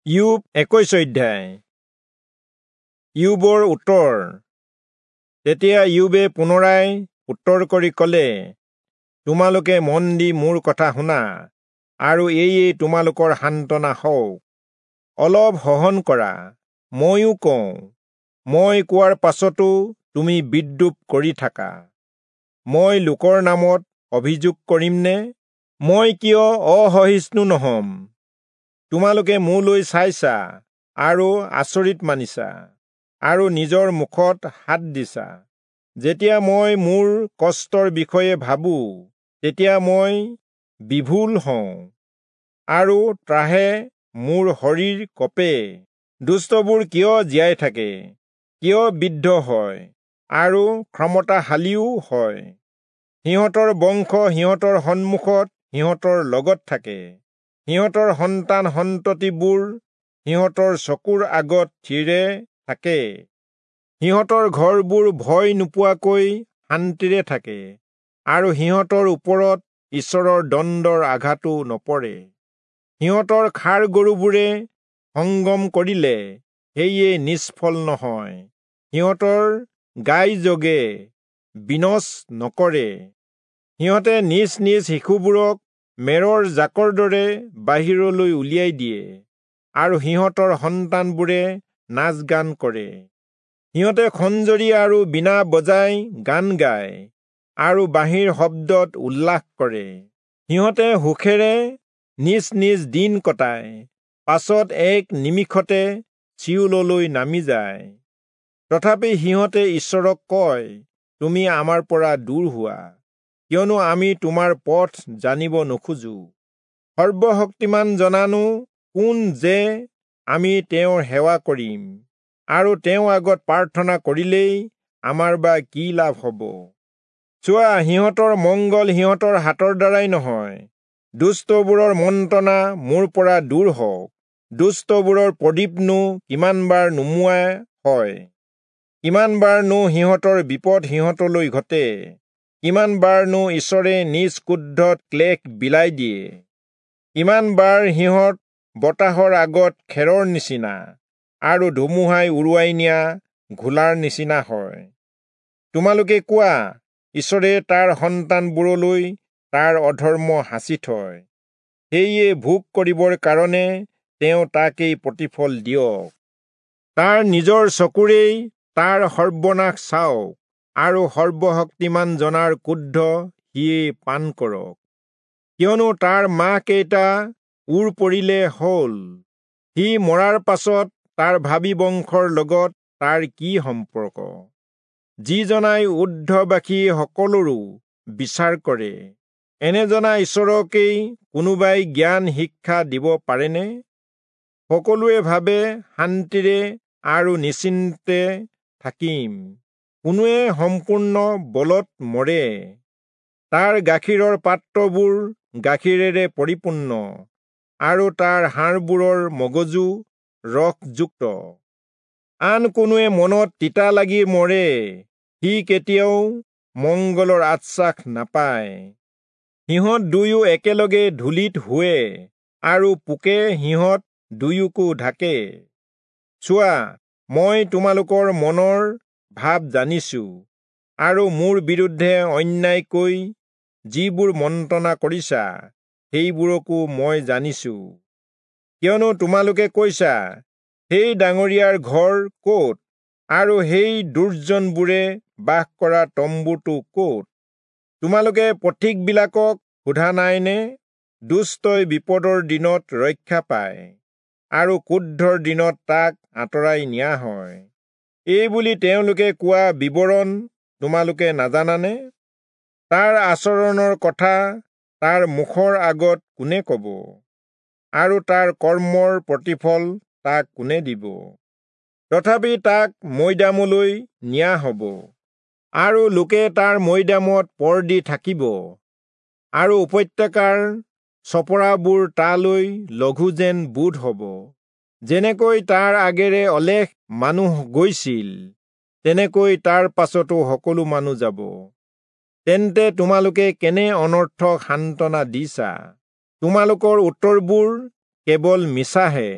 ইয়োব 21 অধ্যায়। ইয়োবৰ উত্তৰ। তেতিয়া ইয়োবে পুনৰাই উত্তৰ কৰি কলে, তোমালোকে মন দি মোৰ কথা শুনা, আৰু এয়ে তোমালোকৰ সান্তনা হওক। অলপ সহন কৰা, ময়ো কওঁ, মই কোৱাৰ পাছতো তুমি বিদ্ৰূপ কৰি থাকা। মই লোকৰ নামত অভিযোগ কৰিমনে? মই কিয় অসহিষ্ণু নহম? তোমালোকে মোলৈ চাইছা আৰু আচৰিত মানিছা, আৰু নিজৰ মুখত হাত দিছা। যেতিয়া মই মোৰ কষ্টৰ বিষয়ে ভাবো, তেতিয়া মই বিভুল হওঁ, আৰু ত্ৰাহে মোৰ শৰীৰ কঁপে। দুষ্টবোৰ কিয় জীয়াই থাকে, কিয় বৃদ্ধ হয়, আৰু ক্ষমতাশালীও হয়? সিহঁতৰ বংশ সিহঁতৰ সন্মুখত সিহঁতৰ লগত থাকে, সিহঁতৰ সন্তান সন্ততিবোৰ সিহঁতৰ চকুৰ আগত থিৰে থাকে। সিহঁতৰ ঘৰবোৰ ভয় নোপোৱাকৈ শান্তিৰে থাকে, আৰু সিহঁতৰ ওপৰত ঈশ্বৰৰ দণ্ডৰ আঘাতো নপৰে। সিহঁতৰ ষাঁড় গৰুবোৰে সংগম কৰিলে সেয়ে নিষ্ফল নহয়, সিহঁতৰ গাই জগে বিনচ নকৰে। সিহঁতে নিজ নিজ শিশুবোৰক মেৰৰ জাকৰ দৰে বাহিৰলৈ উলিয়াই দিয়ে, আৰু সিহঁতৰ সন্তানবোৰে নাচ গান কৰে। সিহঁতে খঞ্জৰি আৰু বীণা বজাই গান গায়, আৰু বাঁহীৰ শব্দত উল্লাস কৰে। সিহঁতে সুখেৰে নিজ নিজ দিন কটায়, পাছত এক নিমিষতে চিয়োললৈ নামি যায়। তথাপি সিহঁতে ঈশ্বৰক কয়, তুমি আমাৰ পৰা দূৰ হোৱা, কিয়নো আমি তোমাৰ পথ জানিব নোখোজো। সৰ্বশক্তিমান জনানো কোন যে আমি তেওঁৰ সেৱা কৰিম, আৰু তেওঁৰ আগত প্ৰাৰ্থনা কৰিলেই আমাৰ বা কি লাভ হ'ব? চোৱা, সিহঁতৰ মংগল সিহঁতৰ হাতৰ দ্বাৰাই নহয়। দুষ্টবোৰৰ মন্ত্ৰণা মোৰ পৰা দূৰ হওক। দুষ্টবোৰৰ প্ৰদীপনো কিমানবাৰ নুমুৱা হয়, কিমানবাৰনো সিহঁতৰ বিপদ সিহঁতলৈ ঘটে, কিমানবাৰনো ঈশ্বৰে নিজ ক্ৰোধত ক্লেশ বিলাই দিয়ে, কিমানবাৰ সিহঁত বতাহৰ আগত খেৰৰ নিচিনা আৰু ধুমুহাই উৰুৱাই নিয়া ঘোলাৰ নিচিনা হয়। তোমালোকে কোৱা, ঈশ্বৰে তাৰ সন্তানবোৰলৈ তাৰ অধৰ্ম সাঁচি থয়, সেয়ে ভোগ কৰিবৰ কাৰণে তেওঁ তাকেই প্ৰতিফল দিয়ক। তাৰ নিজৰ চকুৰেই তাৰ সৰ্বনাশ চাওক, আৰু সৰ্বশক্তিমান জনাৰ ক্ৰোধ সিয়ে পান কৰক। কিয়নো তাৰ মাহ কেইটা ওৰ পৰিলে হ'ল, সি মৰাৰ পাছত তাৰ ভাবী বংশৰ লগত তাৰ কি সম্পৰ্ক? যিজনাই ঊৰ্ধবাসী সকলোৰো বিচাৰ কৰে, এনেজনা ঈশ্বৰকেই কোনোবাই জ্ঞান শিক্ষা দিব পাৰেনে? সকলোৱে ভাবে শান্তিৰে আৰু নিশ্চিন্তে থাকিম, কোনোৱে সম্পূৰ্ণ বলত মৰে। তাৰ গাখীৰৰ পাত্ৰবোৰ গাখীৰেৰে পৰিপূৰ্ণ, আৰু তাৰ হাড়বোৰৰ মগজু ৰসযুক্ত। আন কোনোৱে মনত তিতা লাগি মৰে, সি কেতিয়াও মংগলৰ আশ্বাস নাপায়। সিহঁত দুয়ো একেলগে ধূলিত শোৱে, আৰু পোকে সিহঁত দুয়োকো ঢাকে। চোৱা, মই তোমালোকৰ মনৰ ভাৱ জানিছো, আৰু মোৰ বিৰুদ্ধে অন্যায়কৈ যিবোৰ মন্ত্ৰণা কৰিছা সেইবোৰকো মই জানিছো। কিয়নো তোমালোকে কৈছা, সেই ডাঙৰীয়াৰ ঘৰ ক'ত, আৰু সেই দুৰ্জনবোৰে বাস কৰা তম্বুটো ক'ত? তোমালোকে পথিকবিলাকক সোধা নাইনে? দুষ্টই বিপদৰ দিনত ৰক্ষা পায়, আৰু ক্ৰোধৰ দিনত তাক আঁতৰাই নিয়া হয়। এই বুলি তেওঁলোকে কোৱা বিৱৰণ তোমালোকে নাজানানে? তাৰ আচৰণৰ কথা তাৰ মুখৰ আগত কোনে কব, আৰু তাৰ কৰ্মৰ প্ৰতিফল তাক কোনে দিব? তথাপি তাক মৈদামলৈ নিয়া হব, আৰু লোকে তাৰ মৈদামত পৰ দি থাকিব, আৰু উপত্যকাৰ চপৰাবোৰ তালৈ লঘু যেন বোধ হব। যেনেকৈ তাৰ আগেৰে অলেখ মানুহ গৈছিল, তেনেকৈ তাৰ পাছতো সকলো মানুহ যাব। তেন্তে তোমালোকে কেনে অনৰ্থক সান্তনা দিছা? তোমালোকৰ উত্তৰবোৰ কেৱল মিছাহে।